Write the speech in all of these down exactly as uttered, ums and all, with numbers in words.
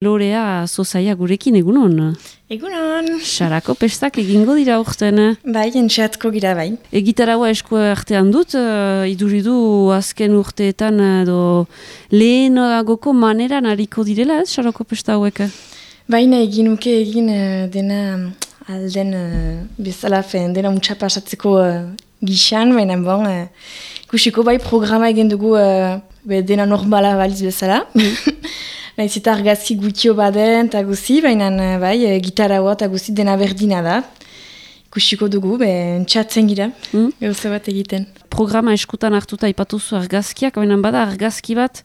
Lorea Zozaia gurekin egunon. Egunon. Sarako pestak egingo dira urten. Bai, entxeatko gira bai. Egitaragoa esku artean dut, uh, iduridu azken urteetan edo lehenagoko maneran hariko direla ez, sarako pesta hauek? Baina egin uke egin uh, dena alden uh, bezala fen, dena untsa pasatzeko uh, gixan, baina bon, uh, ikusiko bai programa egin dugu uh, be, dena normala baliz bezala. Naiz eta argazki gutio baden eta guzi, baina bai, gitaragoa eta guzi dena berdina da. Ikusiko dugu, be, entxatzen gira, mm. gauza bat egiten. Programa eskutan hartuta ipatuzu argazkiak, baina bada argazki bat,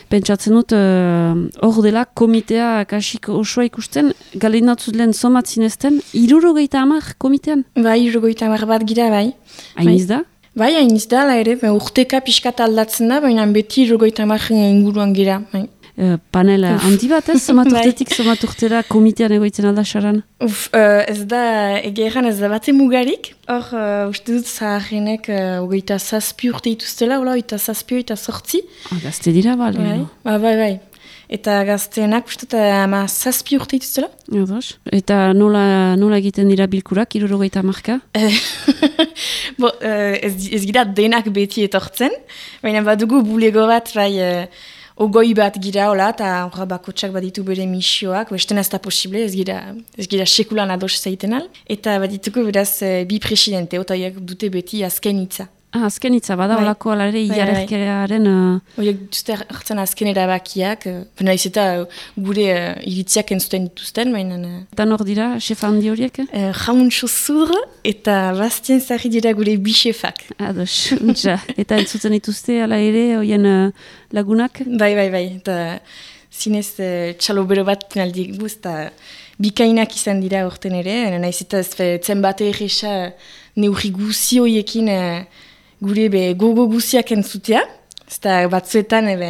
pentsatzen dut, hor uh, dela komitea kasik osoa ikusten, galinatzut lehen somat zinezten, irurogeita hamar komitean? Bai, irurogeita hamar bat gira, bai. Hainiz da? Bai, hainiz da, la ere, urteka pixkat aldatzen da, baina beti irurogeita hamar inguruan gira, bai. Uh, panel handi bat ez, somat urtetik, somat urtera komitean egoitzen alda saran? Uf, uh, ez da, egeran ez da bate mugarik. Hor, uh, uste dut zaharrenek uh, ogeita zazpi urte ituztela, ola, ogeita zazpi, ogeita sortzi. Ah, gazte dira, bale. Bai, ba, bai, bai. Eta gazteenak, uste dut, ama zazpi urte ituztela. Edos. Eta nola, nola egiten dira bilkurak, irurogeita marka? Bo, uh, ez, ez gira denak beti etortzen, baina badugu bulego bat, bai, uh, ogoi bat gira, hola, eta horra bakotsak baditu bere misioak, bestean ez da posible, ez gira, ez gira sekulan ados zaiten al. Eta badituko beraz bi presidente, otaiak dute beti azken hitza. Ah, azken hitza, bada holako bai. Alare hilarrekearen... Uh... Oiek duzte hartzen azken erabakiak, uh, naiz eta uh, gure uh, iritziak entzuten dituzten, baina... Uh, eta nor dira, chef handi horiek? Uh, Jauntxo zur eta Bastien Zarri dira gure bi chefak. Ados, untxa. Eta entzuten dituzte, ala ere, oien uh, lagunak? Bai, bai, bai. Eta zinez uh, txalo bero bat naldi guz, eta bikainak izan dira orten ere, naiz eta zen bate egisa neurri guzi horiekin... Uh, gure be gogo guziak entzutea, eta batzuetan ebe,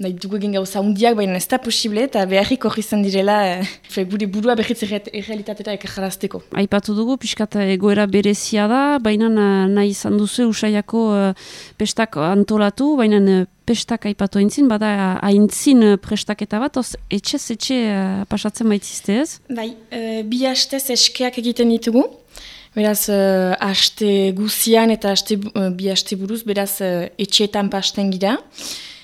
nahi dugu egin gauza hundiak, baina ez da posible, eta beharrik hori izan direla e, gure burua berriz errealitatera ekarrazteko. Aipatu dugu, pixkat egoera berezia da, baina nahi izan duzu Usaiako uh, pestak antolatu, baina uh, pestak aipatu aintzin, bada aintzin prestaketa bat, oz etxez etxe uh, pasatzen baitzizte ez? Bai, uh, bi hastez eskeak egiten ditugu. Beraz, uh, aste guzian eta aste, uh, bi aste buruz, beraz, uh, etxeetan pasten gira.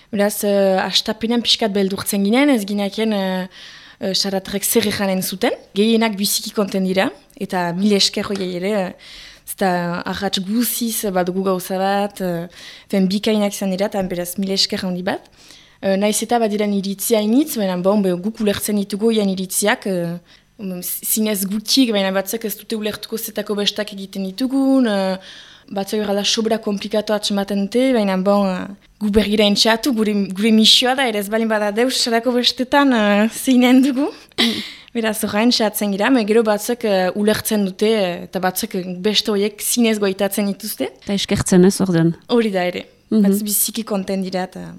Beraz, uh, astapenean pixkat beldurtzen ginen, ez gineaken uh, uh, saratrek zer ejanen zuten. Gehienak biziki konten dira, eta mil esker hori ere, uh, eta arratz guziz badugu gauza bat, uh, fen bikainak izan dira, eta beraz mil esker handi bat. Uh, Naiz eta bat diren iritzia initz, baina bon, be, guk ulertzen ditugu ian iritziak, uh, zinez gutik, baina batzak ez dute ulertuko zetako bestak egiten ditugun, uh, batzak erala sobra komplikatu atxematen dute, baina bon, uh, gu bergira entxatu, gure, gure misioa da, ere ez balin bada deus, sarako bestetan uh, zeinen dugu. Beraz, horra entxatzen gira, me gero batzak uh, ulertzen dute, eta batzak beste horiek zinez goitatzen dituzte. Eta eskertzen ez, orden. Hori da ere, mm -hmm. batz biziki konten dira, eta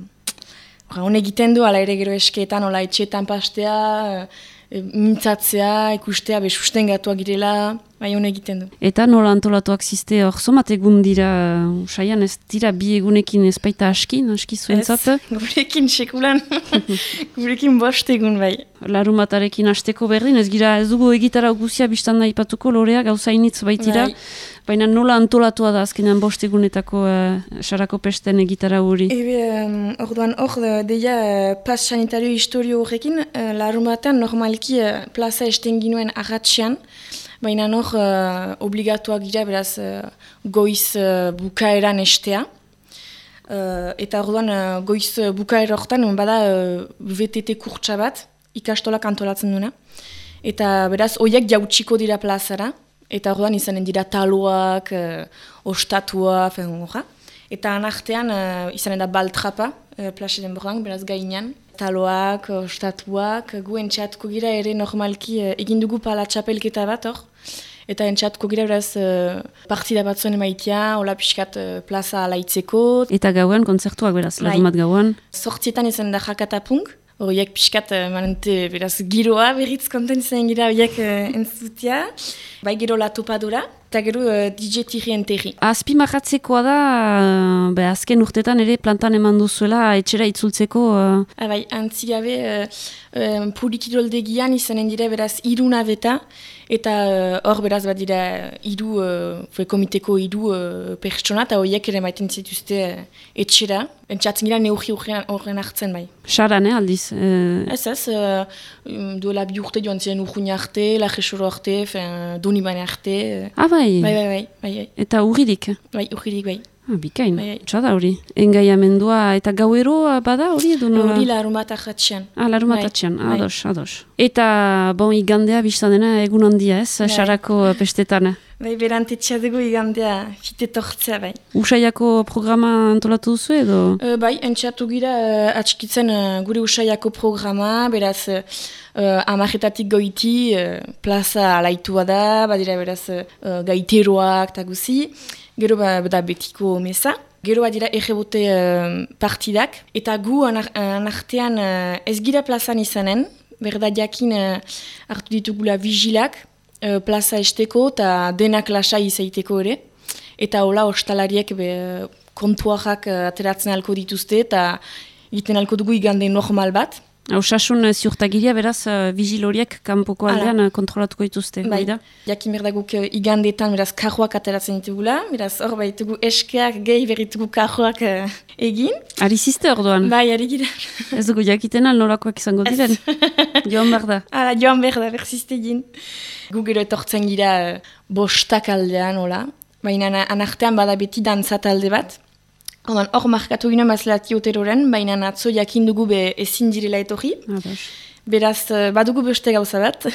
hone egiten du, ala ere gero eskeetan, ola etxeetan pastea, uh, mintzatzea, ikustea, be sustengatuak girela, bai hone egiten du. Eta nola antolatuak ziste hor, somat egun dira, Usaian ez dira bi egunekin ez baita askin, aski zuentzat? Ez, gurekin sekulan, gurekin bost egun bai. Larumatarekin hasteko berdin, ez gira ez dugu egitara guzia biztan da ipatuko Lorea, gauza initz baitira, bai. Baina nola antolatua da azkenean bost egunetako uh, sarako pesten egitara hori? Ebe, um, orduan hor, deia uh, plaz sanitario historio horrekin, uh, larumatean normalki uh, plaza esten ginuen arratxean, baina hor uh, obligatuak gira beraz uh, goiz uh, bukaeran estea. Uh, eta orduan uh, goiz uh, bukaera horretan, bada uh, V T T kurtsa bat, ikastolak antolatzen duna. Eta beraz, oiek jautsiko dira plazara. Eta orduan izanen dira taloak, uh, ostatua, fen horra. Eta anartean uh, izanen da baltrapa, uh, plaxe den bordan, beraz gainean. Taloak, ostatuak, gu entxatuko gira ere normalki uh, egin dugu pala txapelketa bat hor. Eta entxatuko gira beraz uh, partida bat zuen emaitia, hola pixkat uh, plaza alaitzeko. Eta gauan, kontzertuak beraz, lagumat gauan? Sortzietan izanen da jakatapunk. Horiek pixkat, manente, beraz, giroa berriz konten zen gira horiek uh, entzutia. Bai gero la topadora, eta gero uh, D J Tirien Terri. Azpimarratzekoa da, uh, be, azken urtetan ere plantan eman duzuela etxera itzultzeko... Uh... Abai, antzigabe, uh, um, Pulikiroldegian izanen dira beraz iruna beta, eta hor uh, beraz bat dira iru, uh, komiteko iru uh, pertsona, eta horiek ere maiten zituzte uh, etxera. Entzatzen gira neurri horren hartzen bai. Saran, eh, aldiz? Eh... Ez ez, uh, duela bi urte joan ziren urruina arte, lajexoro arte, donibane arte. Ah, bai. Bai, bai, bai, bai, bai. Eta urririk? Bai, urririk, bai. Ah, bikain, bai, bai. Txada hori. Engaiamendua eta gauero bada hori edo nola? Hori larumat ahatxean. Ah, larumat ahatxean, bai. ados, ados. Eta, bon, igandea biztan dena egun handia ez, bai. Sarako pestetan. Bai, berantetxea dugu igandea fite tortzea, bai. Usaiako programa antolatu duzu edo? Uh, bai, entxatu gira uh, atxikitzen uh, gure Usaiako programa, beraz uh, amarretatik goiti, uh, plaza alaitua da, badira beraz uh, gaiteroak eta guzi, gero ba, da betiko meza. Gero badira errebote uh, partidak, eta gu anartean uh, ez gira plazan izanen, berda jakin uh, hartu ditugula vigilak, Uh, plaza esteko eta denak lasai izaiteko ere. Eta hola ostalariek be, kontuarrak uh, ateratzen alko dituzte eta egiten alko dugu igande normal bat. Osasun ziurtagiria beraz uh, vigiloriek kanpoko aldean uh, kontrolatuko dituzte. Bai, jakin berdaguk uh, igandetan beraz karroak ateratzen ditugula. Beraz hor baitugu eskeak gehi berritugu karroak uh, egin. Ari ziste hor doan? Bai, ari gira. Ez dugu jakiten alnorakoak izango diren. Joan behar da. Hala, joan behar da, berzizte egin. Gu gero etortzen gira uh, bostak aldean, hola. Baina anartean bada beti dantzat alde bat. Hor markatu ginen bazlati oteroren, baina atzo jakin dugu be ezin direla etorri. Ados. Beraz, badugu beste gauza bat.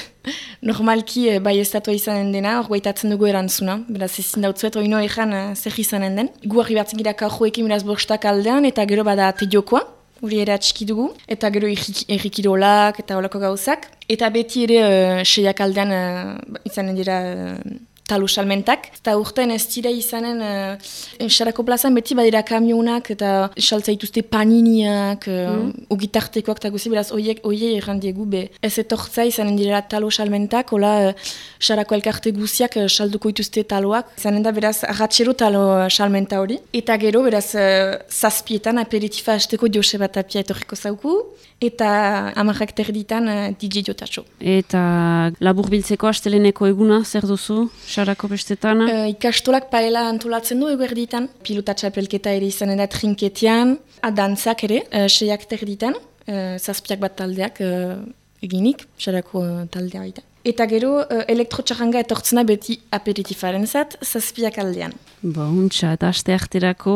Normalki bai estatua izanen dena, hor guaitatzen dugu erantzuna. Beraz, ezin dautzuet oino ejan zer izanen den. Gu harri batzen gira karroekin beraz bostak aldean, eta gero bada tediokoa. Hori ere atxiki dugu, eta gero errikirolak eta holako gauzak. Eta beti ere uh, seiak aldean uh, izanen dira uh, talo salmentak. Eta urtean ez dira izanen uh, Sarako plazan beti badira kamionak eta saltza dituzte paniniak, uh, mm. ugitartekoak eta guzi, beraz oiek oie errandiegu be. Ez etortza izanen dira talo salmentak, hola uh, Sarako elkarte guziak uh, salduko dituzte taloak. Izanen da beraz arratxero talo salmenta hori. Eta gero beraz uh, zazpietan aperitifa hasteko Joseba Tapia etorriko zauku. Eta amarrak terditan uh, D J Jotatxo. Eta labur biltzeko asteleneko eguna, zer duzu, Sarako bestetan? Uh, ikastolak paela antolatzen du eguerditan. Pilota txapelketa ere izanen da trinketean. Adantzak ere, uh, seiak terditan. Uh, zazpiak bat taldeak uh, eginik, Sarako uh, taldea baita. Eta gero, uh, elektrotxarranga etortzena beti aperitifaren zat, zazpiak aldean. Bontxa, eta aste arterako,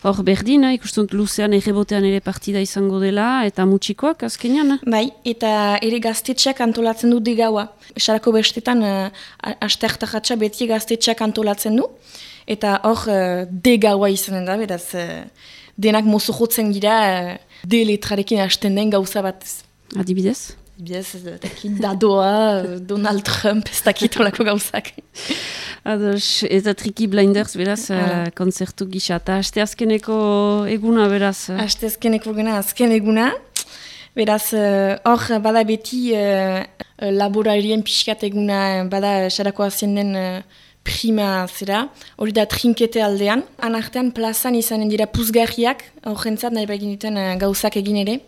hor berdin, ikusten luzean errebotean ere partida izango dela, eta mutxikoak azkenean? Bai, eta ere gaztetxeak antolatzen du degaua. Sarako bestetan, uh, aste artarratxa beti gaztetxeak antolatzen du, eta hor uh, degaua izanen da, beraz, uh, denak mozo jotzen gira, uh, de letrarekin hasten den gauza bat. Adibidez? Biez, dadoa, Donald Trump, ez dakit olako gauzak. Ados, eta Triki Blinders, beraz, uh, konzertu gisa. Eta aste azkeneko eguna, beraz? Aste azkeneko eguna, azken eguna. Beraz, hor, uh, bada beti uh, laborarien pixkat eguna, bada Sarako azien den uh, prima zera. Hori da trinkete aldean. Anartean plazan izanen dira puzgarriak, hor jentzat nahi bagin duten uh, gauzak egin ere.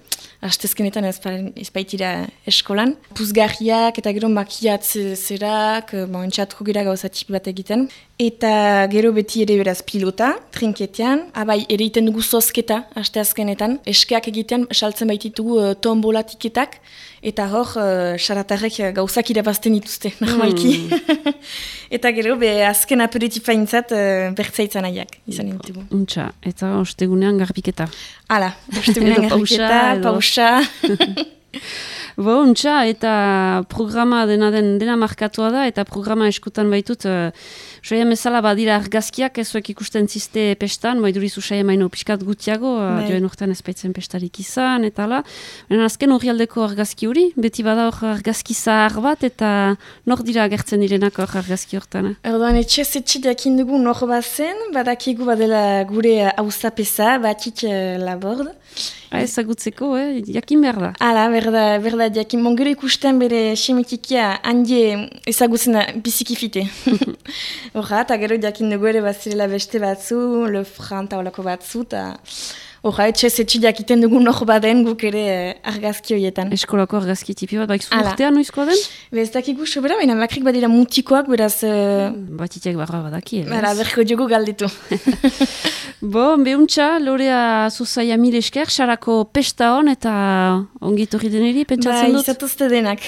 Astezkenetan ez baitira eskolan. Puzgarriak eta gero makiatze zerak, bon, entxatuko gira gauzatik bat egiten. Eta gero beti ere beraz pilota, trinketean. Abai, ere iten dugu zozketa, asteazkenetan. Eskeak egiten, saltzen baititugu uh, tombola tiketak. Eta hor, uh, xaratarrek gauzak irabazten dituzte, normalki. Mm. Eta gero, be, azken aperitifaintzat uh, bertzaitzan nahiak, izan ditugu. Untxa, eta ostegunean garbiketa. Hala, ostegunean garbiketa, pausa. Bo, untxa, eta programa dena den dena markatua da, eta programa eskutan baitut, uh, Usaia mezala badira argazkiak ezuek ikusten ziste pestan, baiduriz usaia maino pixkat gutiago, uh, joen urtean ez baitzen pestarik izan, eta ala. Baina azken hori aldeko argazki hori, beti bada hor argazki zahar bat, eta nor dira agertzen direnak hor argazki hortan. Erdoan, etxez etxe diakin dugu nor bazen, badakigu badela gure hauzapesa, batik uh, labord. Ha, ezagutzeko, eh? Jakin behar da. Hala, berda, berda, jakin. Mongero ikusten bere semitikia handie ezagutzen da bizikifite. Horra, eta gero jakin dugu ere bazirela beste batzu, Le Fran taolako batzu, eta horra, etxez etxi jakiten dugu nor baden guk ere eh, argazki horietan. Eskolako argazki tipi bat, baik zurtea noizkoa den? Bez dakigu sobera, baina bakrik badira mutikoak, beraz... Uh, Batitiak barra badaki. Bara, berko dugu galditu. Bo, behuntza, Lorea Zuzaia mil esker, sarako pesta hon eta ongitorri deneri, pentsatzen dut? Ba, izatuzte denak.